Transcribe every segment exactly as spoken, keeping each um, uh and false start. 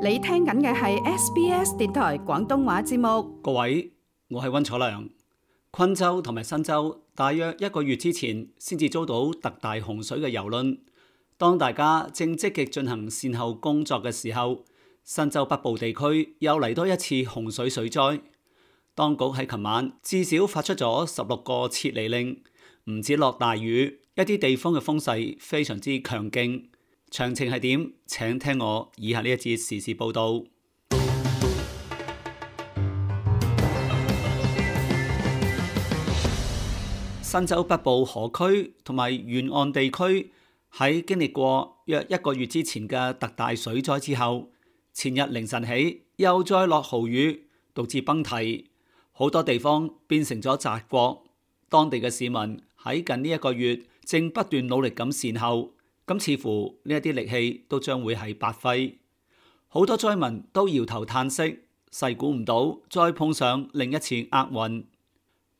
你聽緊嘅係 S B S 電台廣東話節目。各位，我係溫楚良。昆州同埋新州大約一個月之前先至遭到特大洪水嘅蹂躪。當大家正積極進行善後工作嘅時候，新州北部地區又嚟多一次洪水水災。當局喺琴晚至少發出咗十六個撤離令，唔止落大雨，一啲地方嘅風勢非常之強勁。詳情係點？請聽我以下呢一節時事報道。新州北部河區同埋沿岸地區喺經歷過約一個月之前嘅特大水災之後，前日凌晨起又再落豪雨，導致崩堤，好多地方變成咗澤國。當地嘅市民喺近呢一個月正不斷努力咁善後。咁似乎呢一啲力氣都將會係白費，好多災民都搖頭嘆息，細估唔到再碰上另一次厄運。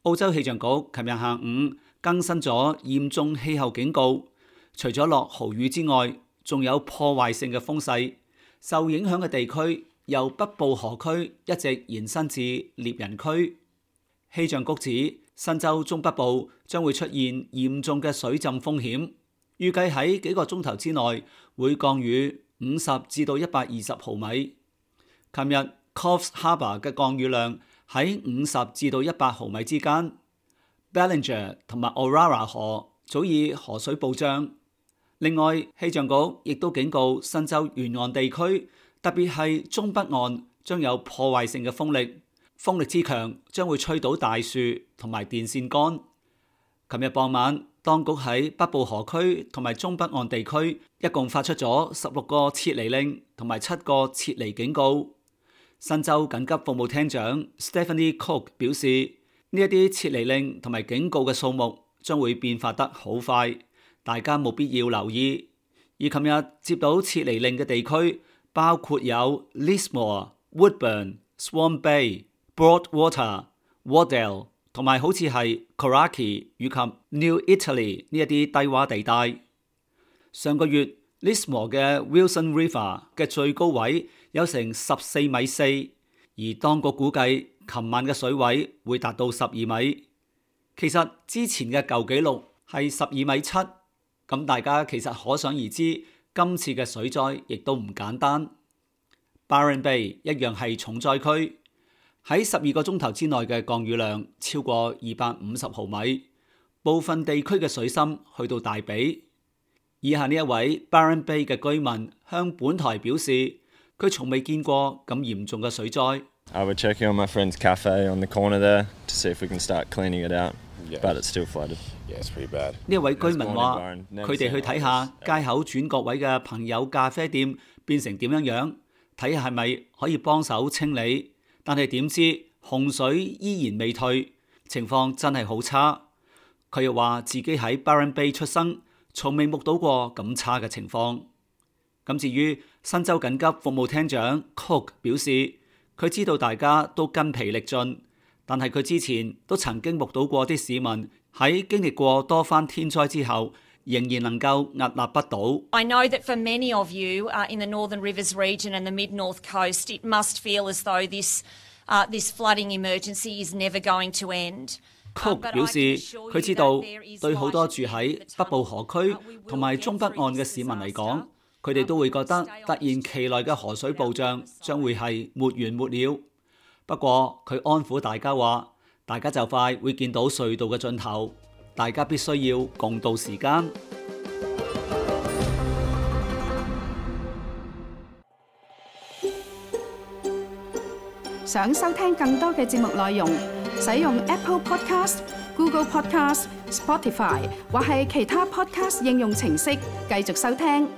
澳洲氣象局琴日下午更新咗嚴重氣候警告，除咗落豪雨之外，仲有破壞性嘅風勢。受影響嘅地區由北部河區一直延伸至獵人區。氣象局指新州中北部將會出現嚴重嘅水浸風險。預計喺幾個鐘頭之內會降雨五十至到一百二十毫米。琴日 Coffs Harbour 嘅降雨量喺五十至到一百毫米之間。Ballinger 同埋 Orara 河早已河水暴漲。另外，氣象局亦都警告新州沿岸地區，特別係中北岸將有破壞性嘅風力，風力之強將會吹倒大樹同埋電線桿。琴日傍晚，當局喺北部河區同埋中北岸地區一共發出咗十六個撤離令同埋七個撤離警告。新州緊急服務廳長 Stephanie Cook 表示，呢一啲撤離令同埋警告嘅數目將會變化得好快，大家冇必要留意。而琴日接到撤離令嘅地區包括有 Lismore、Woodburn、Swan Bay、Broadwater、Wardell。同埋好似係 Coraki 以及 New Italy 呢一啲低洼地帶。上個月 Lismore 嘅 Wilson River 嘅最高位有成十四米四，而當局估計琴晚嘅水位會達到十二米。其實之前嘅舊紀錄係十二米七，咁大家其實可想而知，今次嘅水災亦都唔簡單。Byron Bay 一樣係重災區。喺十二個鐘頭之內嘅降雨量超過二百五十毫米，部分地區嘅水深去到大髀。以下呢一位 Byron Bay 嘅居民向本台表示，佢從未見過咁嚴重嘅水災。I would check on my friend's cafe on the corner there to see if we can start cleaning it out, but it's still flooded. Yeah, it's pretty bad. 呢一位居民話，佢哋去睇下街口轉角位嘅朋友咖啡店變成點樣樣，睇下係咪可以幫手清理。但係點知洪水依然未退，情況真係好差。佢又話自己喺 Byron Bay 出生，從未目睹過咁差嘅情況。咁至於新州緊急服務廳長 Cook 表示，佢知道大家都筋疲力盡，但係佢之前都曾經目睹過啲市民喺經歷過多番天災之後，仍然能夠屹立不倒。I know that for many of you uh, in the Northern Rivers region and the Mid-North Coast, it must feel as though this, uh, this flooding emergency is never going to end. Cook 表示，佢知道對好多住喺北部河區同埋中北岸嘅市民嚟講，佢哋都會覺得突然其來嘅河水暴漲將會係沒完沒了。不過佢安撫大家話，大家就快會見到隧道嘅盡頭。大家必須要共度時間。想收聽更多嘅節目內容，使用 Apple Podcast、Google Podcast、Spotify 或係其他 Podcast 應用程式繼續收聽。